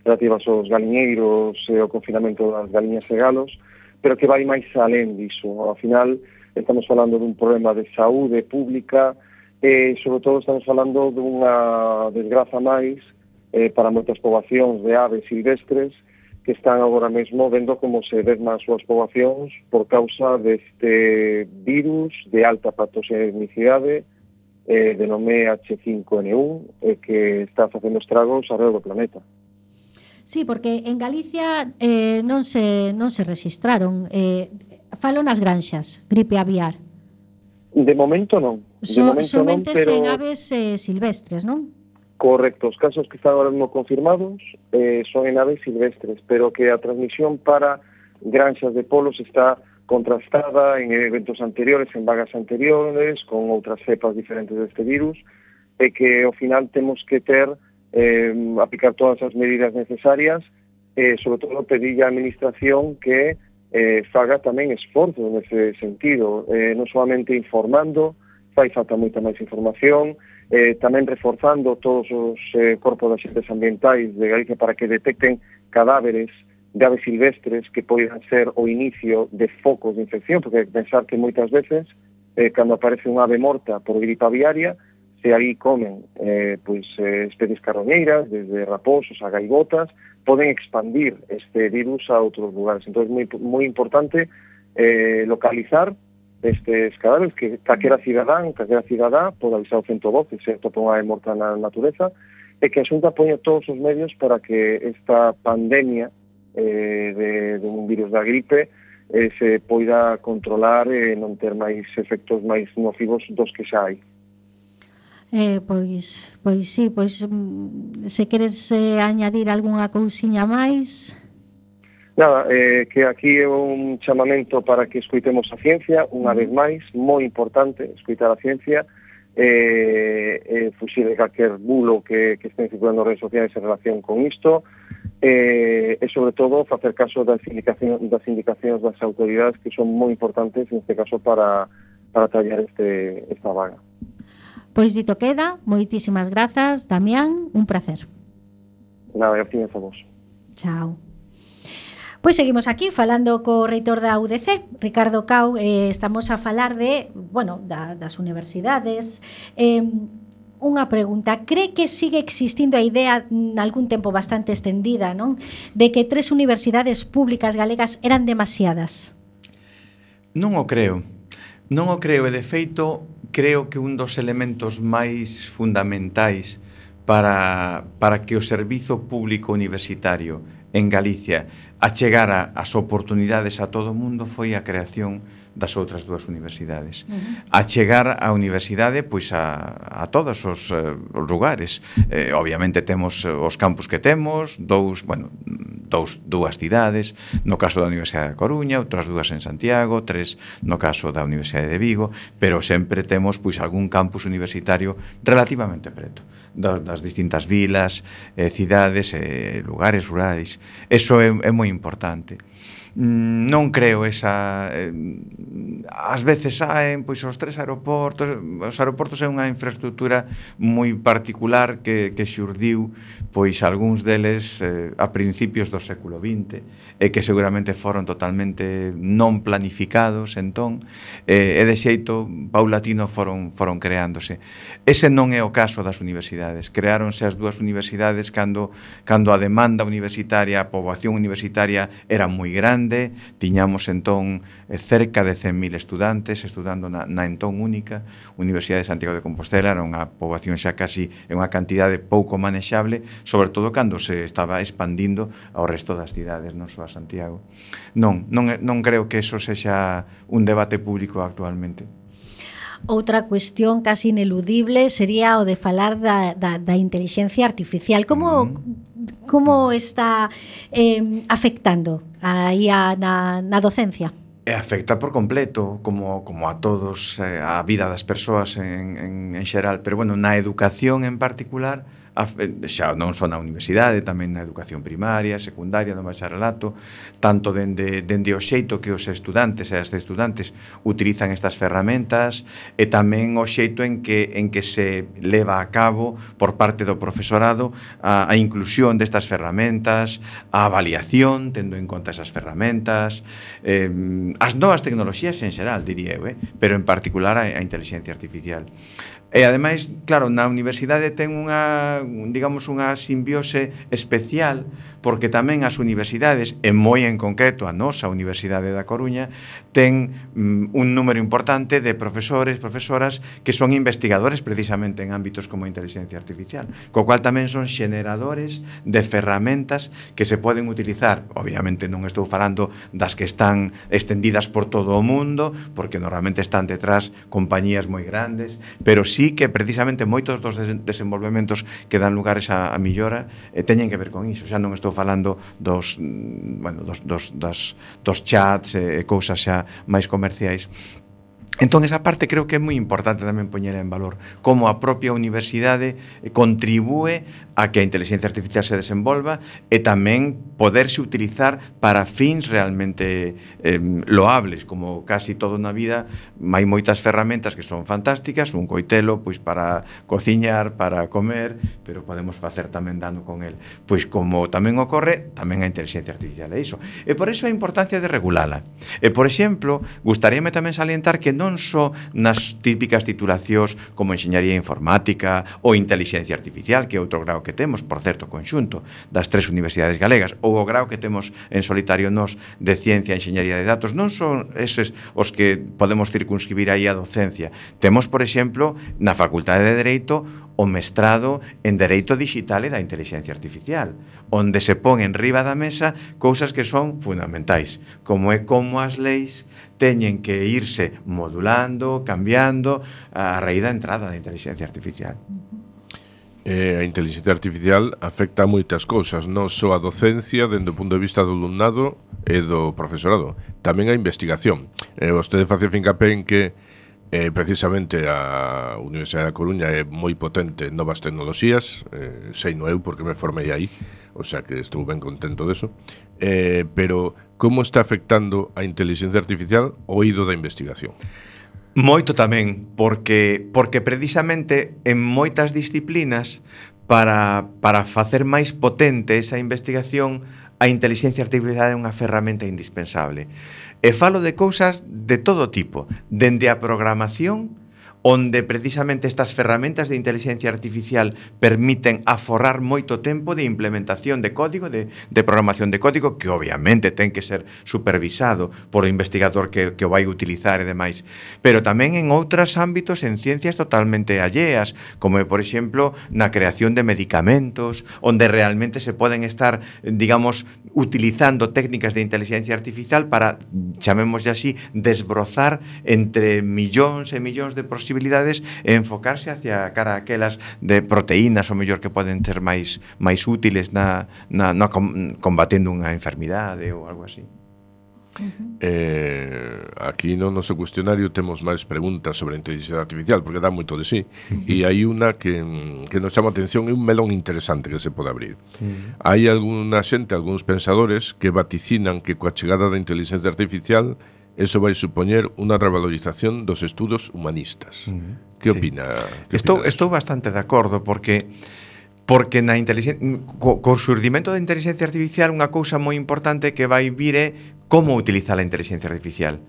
relativas aos galiñeiros e o confinamento das galiñas e galos, pero que vai máis alén diso. Ao final estamos falando dun problema de saúde pública e, sobre todo, estamos falando dunha desgraza máis para moitas poboacións de aves silvestres que están agora mesmo vendo como se desman as súas poboacións por causa deste virus de alta patogenicidade de nome H5N1 que está facendo estragos alrededor do planeta. Sí, porque en Galicia non se registraron. Falo nas granxas, gripe aviar. De momento non. Somente en aves silvestres, non? Correcto, os casos que están ahora mismo confirmados son en aves silvestres, pero que a transmisión para granxas de polos está contrastada en eventos anteriores, en vagas anteriores, con outras cepas diferentes deste virus, e que ao final temos que aplicar todas as medidas necesarias, sobre todo pedir a administración que faga tamén esforzo nese sentido, non solamente informando, fai falta moita máis información, tamén reforzando todos os corpos de axentes ambientais de Galicia para que detecten cadáveres de aves silvestres que poidan ser o inicio de focos de infección, porque pensar que moitas veces, cando aparece unha ave morta por gripe aviaria, se aí comen especies carroñeiras, desde raposos a gaivotas, poden expandir este virus a outros lugares. Entón, é moi importante localizar estes cadáveres, que calquera cidadá pode avisar o 112 se atopa unha ave morta na natureza, e que a Xunta poña todos os medios para que esta pandemia de un virus da gripe se poida controlar e non ter máis efectos máis nocivos dos que xa hai. Pois sí, se queres añadir algunha cousiña máis... Nada, que aquí é un chamamento para que escoitemos a ciencia, unha vez máis, moi importante escoitar a ciencia, fuxir de calquer bulo que estén circulando nas redes sociais en relación con isto, e sobre todo facer caso das indicacións das autoridades, que son moi importantes neste caso para tallar esta vaga. Pois dito queda, moitísimas grazas, Damián, un placer. Nada, gracias a vos. Chao. Pois seguimos aquí falando co reitor da UDC, Ricardo Cao, estamos a falar das universidades. Unha pregunta, cree que sigue existindo a idea nalgún tempo bastante extendida, non, de que 3 universidades públicas galegas eran demasiadas? Non o creo, e de feito creo que un dos elementos máis fundamentais para que o servizo público universitario en Galicia achegara as oportunidades a todo o mundo foi a creación das outras dúas universidades. Achegar a universidade pois a todos os lugares. Obviamente temos os campus que temos, dúas cidades, no caso da Universidade da Coruña, outras 2 en Santiago, 3 no caso da Universidade de Vigo, pero sempre temos pois algún campus universitario relativamente preto das distintas vilas, cidades, lugares rurais. Eso é moi importante. Non creo esa... ás veces saen pois os 3 aeroportos. Os aeroportos é unha infraestructura moi particular que xurdiu pois algúns deles a principios do século XX e que seguramente foron totalmente non planificados entón e de xeito paulatino foron creándose. Ese non é o caso das universidades. Creáronse as 2 universidades cando a demanda universitaria, a poboación universitaria era moi grande. Tiñamos entón cerca de 100.000 estudantes estudando na entón única Universidade de Santiago de Compostela. Era unha poboación xa casi unha cantidade pouco manexable, sobre todo cando se estaba expandindo ao resto das cidades, non só a Santiago. Non creo que eso sexa un debate público actualmente. Outra cuestión casi ineludible sería o de falar da intelixencia artificial. Como está afectando aí na docencia? Afecta por completo, como a todos, a vida das persoas en xeral, pero na educación en particular, xa non só na universidade, tamén na educación primaria, secundaria, no bacharelato, tanto dende o xeito que os estudantes e as estudantes utilizan estas ferramentas e tamén o xeito en que se leva a cabo por parte do profesorado a inclusión destas ferramentas, a avaliación, tendo en conta esas ferramentas, as novas tecnoloxías en xeral, diría eu, pero en particular a inteligencia artificial. E ademais, claro, na universidade ten unha simbiose especial, porque tamén as universidades, e moi en concreto a nosa Universidade da Coruña, ten un número importante de profesores, profesoras que son investigadores precisamente en ámbitos como a inteligencia artificial, co cual tamén son xeneradores de ferramentas que se poden utilizar. Obviamente non estou falando das que están extendidas por todo o mundo, porque normalmente están detrás compañías moi grandes, pero sí sí que precisamente moitos dos desenvolvementos que dan lugares a millora teñen que ver con iso. Xa non estou falando dos chats e cousas xa máis comerciais. Entón, esa parte creo que é moi importante tamén poñer en valor como a propia universidade contribúe a que a inteligencia artificial se desenvolva e tamén poderse utilizar para fins realmente loables, como casi todo na vida. Hai moitas ferramentas que son fantásticas, un coitelo pois para cociñar, para comer, pero podemos facer tamén dano con el. Pois como tamén ocorre, tamén a inteligencia artificial é iso. E por iso a importancia de regulala. E, por exemplo, gustaríame tamén salientar que non só nas típicas titulacións como enxeñaría informática ou inteligencia artificial, que é outro grao que temos, por certo, conxunto das 3 universidades galegas, ou o grao que temos en solitario nos de ciencia e enxeñaría de datos, non son eses os que podemos circunscribir aí a docencia. Temos, por exemplo, na Facultade de Dereito o mestrado en Dereito Digital e da Inteligencia Artificial, onde se pon en riba da mesa cousas que son fundamentais, como é como as leis teñen que irse modulando, cambiando a raíz da entrada da inteligencia artificial. A inteligencia artificial afecta a moitas cousas, non só a docencia dende o punto de vista do alumnado e do profesorado, tamén a investigación. Vostede face fincapé en que precisamente a Universidade da Coruña é moi potente en novas tecnoloxías, sei no eu porque me formei aí, o sea que estou ben contento deso, pero como está afectando a inteligencia artificial o eido da investigación? Moito tamén, porque precisamente en moitas disciplinas para facer máis potente esa investigación, a inteligencia artificial é unha ferramenta indispensable. E falo de cousas de todo tipo, dende a programación, onde precisamente estas ferramentas de inteligencia artificial permiten aforrar moito tempo de implementación de código, de programación de código, que obviamente ten que ser supervisado por o investigador que o vai utilizar e demais, pero tamén en outros ámbitos, en ciencias totalmente alleas, como por exemplo na creación de medicamentos, onde realmente se poden estar, digamos, utilizando técnicas de inteligencia artificial para, chamémoslle así, desbrozar entre millóns e millóns de posibilidades e enfocarse hacia cara a aquelas de proteínas ou mellor que poden ser máis útiles na combatendo unha enfermidade ou algo así. Aquí no noso cuestionario temos máis preguntas sobre a inteligencia artificial porque dá moito de sí, e hai unha que nos chama a atención, é un melón interesante que se pode abrir. Hai algunha xente, algúns pensadores que vaticinan que coa chegada da inteligencia artificial eso vai supoñer unha revalorización dos estudos humanistas. Que opina? Estou bastante de acordo, porque na co xurdimento da inteligencia artificial unha cousa moi importante que vai vir é como utilizar a inteligencia artificial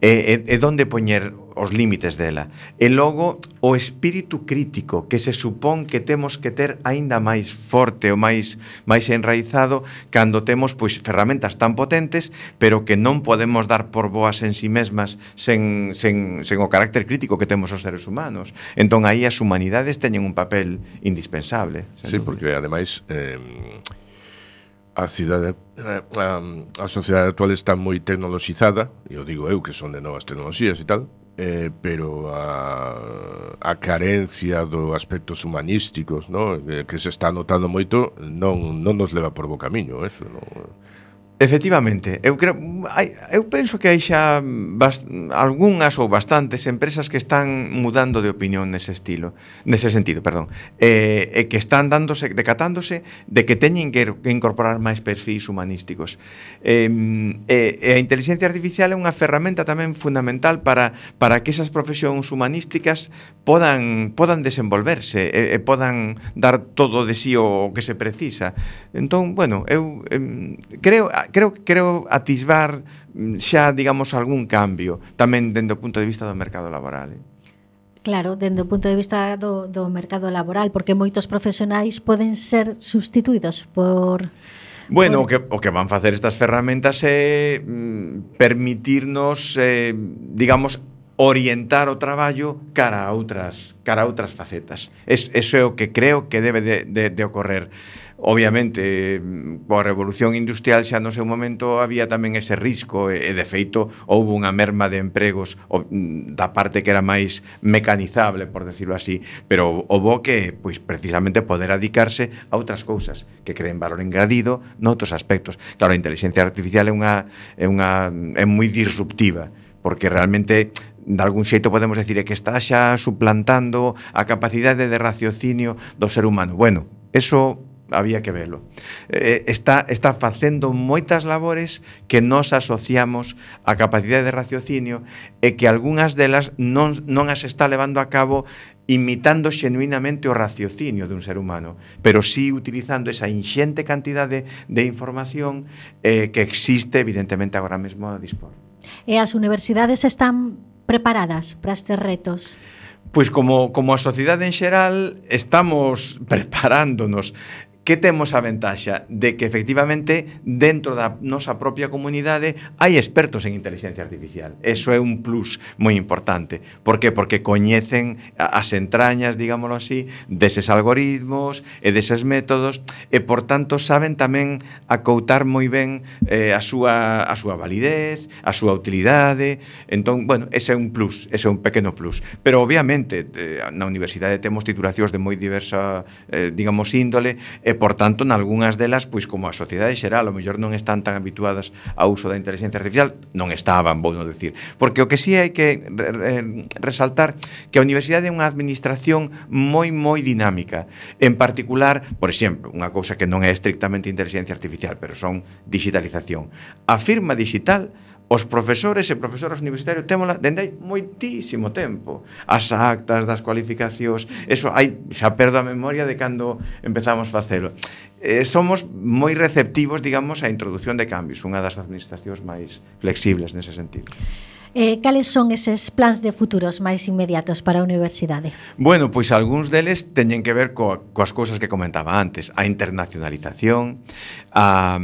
e onde poñer os límites dela. E logo o espírito crítico que se supón que temos que ter aínda máis forte ou máis enraizado cando temos pois ferramentas tan potentes, pero que non podemos dar por boas en si mesmas sen o carácter crítico que temos os seres humanos. Entón aí as humanidades teñen un papel indispensable. Sí, porque ademais a sociedade actual está moi tecnoloxizada, e o digo eu que son de novas tecnoloxías e tal, pero a carencia dos aspectos humanísticos, ¿no? Que se está notando moito, non nos leva por bo camiño, eso, non? Efectivamente, eu penso que hai xa algunhas ou bastantes empresas que están mudando de opinión nese sentido, e que están decatándose de que teñen que incorporar máis perfis humanísticos. E a inteligencia artificial é unha ferramenta tamén fundamental para que esas profesións humanísticas podan desenvolverse e podan dar todo de sí o que se precisa. Entón, bueno, eu creo atisbar xa, digamos, algún cambio tamén dende o punto de vista do mercado laboral. Claro, dende o punto de vista do mercado laboral, porque moitos profesionais poden ser sustituídos por... Bueno, o que van facer estas ferramentas é permitirnos, digamos, orientar o traballo cara a outras facetas. Eso é o que creo que debe de ocorrer. Obviamente, coa revolución industrial xa no seu momento había tamén ese risco e de feito houve unha merma de empregos da parte que era máis mecanizable, por decirlo así, pero houve que, pois, precisamente poder adicarse a outras cousas que creen valor engadido noutros aspectos. Claro, a inteligencia artificial é moi disruptiva, porque realmente de algún xeito podemos decir que está xa suplantando a capacidade de raciocinio do ser humano. Bueno, eso había que velo. Está facendo moitas labores que nos asociamos á capacidade de raciocinio e que algunhas delas non as está levando a cabo imitando xenuinamente o raciocinio dun ser humano, pero sí utilizando esa inxente cantidade de información que existe evidentemente agora mesmo a dispor. E as universidades están preparadas para estes retos? Pois como a sociedade en xeral estamos preparándonos. Que temos a ventaxa de que efectivamente dentro da nosa propia comunidade hai expertos en inteligencia artificial. Eso é un plus moi importante. Por qué? Porque coñecen as entrañas, digámoslo así, deses algoritmos e deses métodos e, por tanto, saben tamén acoutar moi ben a súa validez, a súa utilidade. Entón, bueno, ese é un plus, ese é un pequeno plus. Pero, obviamente, na universidade temos titulacións de moi diversa, digamos, índole, e, por tanto, nalgúnas delas, pois como a sociedade xeral, ao mellor non están tan habituadas ao uso da inteligencia artificial, non estaban, vou non decir. Porque o que sí hai que resaltar que a universidade é unha administración moi dinámica. En particular, por exemplo, unha cousa que non é estrictamente inteligencia artificial, pero son digitalización. A firma digital, os profesores e profesoras universitarios témola dende hai moitísimo tempo. As actas das cualificacións, eso hai, xa perdo a memoria de cando empezamos a facelo. Somos moi receptivos, digamos, á introducción de cambios, unha das administracións máis flexibles nese sentido. Cales son eses plans de futuros máis inmediatos para a universidade? Bueno, pois algúns deles teñen que ver coas cousas que comentaba antes, a internacionalización, a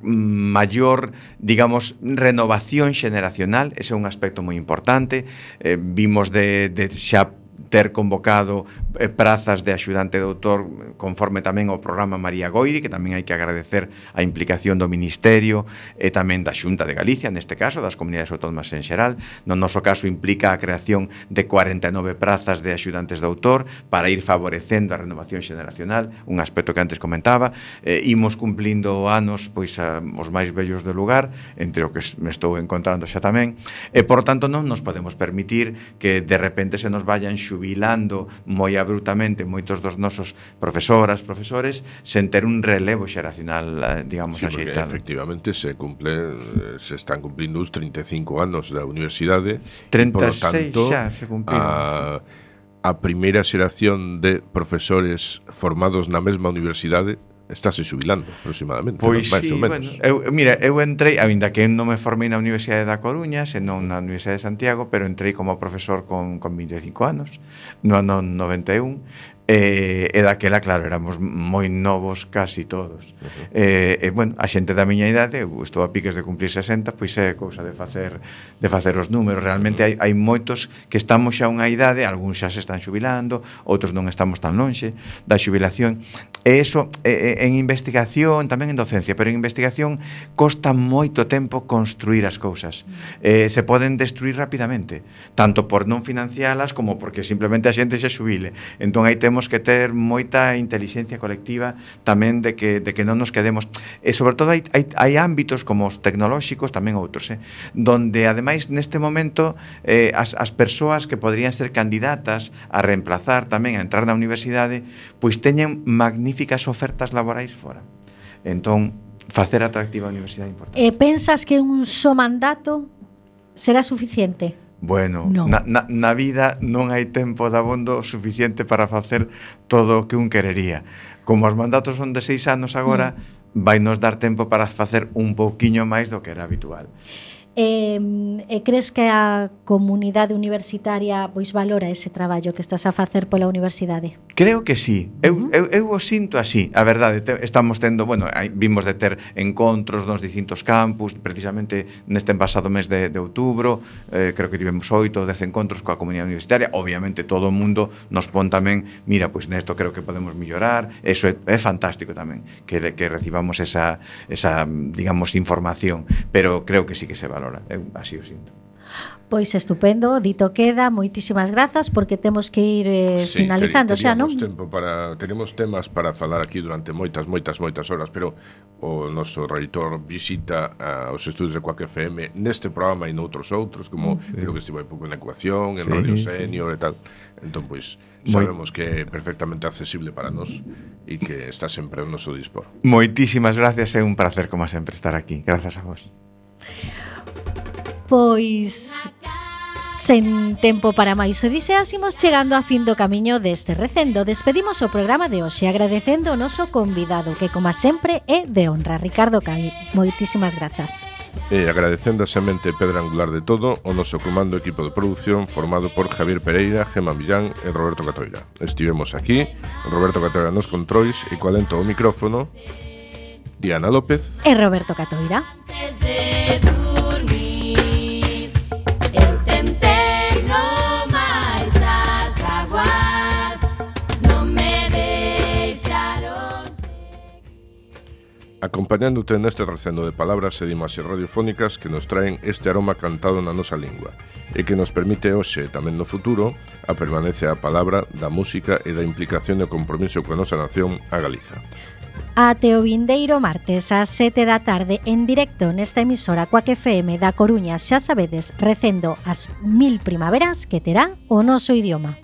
maior, digamos, renovación xeneracional. Ese é un aspecto moi importante. Vimos de xa ter convocado prazas de axudante de doutor conforme tamén ao programa María Goiri, que tamén hai que agradecer a implicación do Ministerio e tamén da Xunta de Galicia, neste caso, das comunidades autónomas en xeral. No noso caso implica a creación de 49 prazas de axudantes de doutor para ir favorecendo a renovación xeneracional, un aspecto que antes comentaba. Imos cumplindo anos, pois, os máis vellos do lugar, entre o que me estou encontrando xa tamén, e, por tanto, non nos podemos permitir que de repente se nos vayan xubilando moi abruptamente moitos dos nosos profesores sen ter un relevo xeracional, digamos, sí, axeitado. Efectivamente se están cumplindo os 35 anos da universidade. 36 xa se cumpliron. A primeira xeración de profesores formados na mesma universidade estáse xubilando aproximadamente. Pois máis sí, ou menos. Bueno, eu entrei, aínda que non me formei na Universidade da Coruña, senón na Universidade de Santiago, pero entrei como profesor con 25 anos, no ano 91, e daquela, claro, éramos moi novos casi todos. Bueno, a xente da miña idade, eu estou a piques de cumplir 60, pois é cousa de facer os números. Realmente hai moitos que estamos xa a unha idade, algúns xa se están xubilando, outros non estamos tan lonxe da xubilación. E iso en investigación, tamén en docencia, pero en investigación costa moito tempo construir as cousas. Se poden destruir rapidamente, tanto por non financialas como porque simplemente a xente se xubile. Entón aí temos que ter moita inteligencia colectiva tamén de que non nos quedemos. E sobre todo hai ámbitos como os tecnolóxicos, tamén outros, donde ademais neste momento as persoas que poderían ser candidatas a reemplazar tamén a entrar na universidade, pois teñen magníficas ofertas laborais fora. Entón, facer atractiva a universidade é importante. Pensas que un só mandato será suficiente? Bueno, no. na vida non hai tempo dabondo suficiente para facer todo o que un querería. Como os mandatos son de 6 anos agora, vai nos dar tempo para facer un pouquiño máis do que era habitual. Crees que a comunidade universitaria pois valora ese traballo que estás a facer pola universidade? Creo que sí. Eu o sinto así. A verdade, estamos tendo, bueno, vimos de ter encontros nos distintos campus, precisamente neste pasado mes de outubro, creo que tivemos 8 ou 10 encontros coa comunidade universitaria. Obviamente todo o mundo nos pon tamén, mira, pois nesto creo que podemos mellorar. Eso é fantástico tamén, que recibamos esa digamos, información, pero creo que sí que se valora. Eu así o sinto. Pois estupendo, dito queda, moitísimas grazas porque temos que ir finalizando xa, non? Tenemos temas para falar aquí durante moitas horas, pero o noso reitor visita aos estudios de Quack FM neste programa e noutros outros, como creo que estivo hai pouco en Ecuación, en Radio Senior e tal. Entón, pois, sabemos que é perfectamente accesible para nós e que está sempre ao noso dispor. Moitísimas gracias, é un placer, como sempre, estar aquí. Grazas a vos. Pois sen tempo para máis odiseas, imos chegando a fin do camiño deste recendo. Despedimos o programa de hoxe agradecendo o noso convidado, que como sempre é de honra, Ricardo Cai. Moitísimas grazas. E agradecendo a semente pedra angular de todo o noso comando equipo de produción formado por Javier Pereira, Gema Millán e Roberto Catoira. Estivemos aquí, Roberto Catoira nos controis e co alento ao micrófono, Diana López e Roberto Catoira. Acompañándote neste recendo de palabras e de imaxes radiofónicas que nos traen este aroma cantado na nosa lingua e que nos permite hoxe e tamén no futuro a permanencia a palabra da música e da implicación e o compromiso coa nosa nación, a Galiza. Ate o vindeiro martes ás 7 da tarde en directo nesta emisora Quack FM da Coruña, xa sabedes, recendo as 1000 primaveras que terá o noso idioma.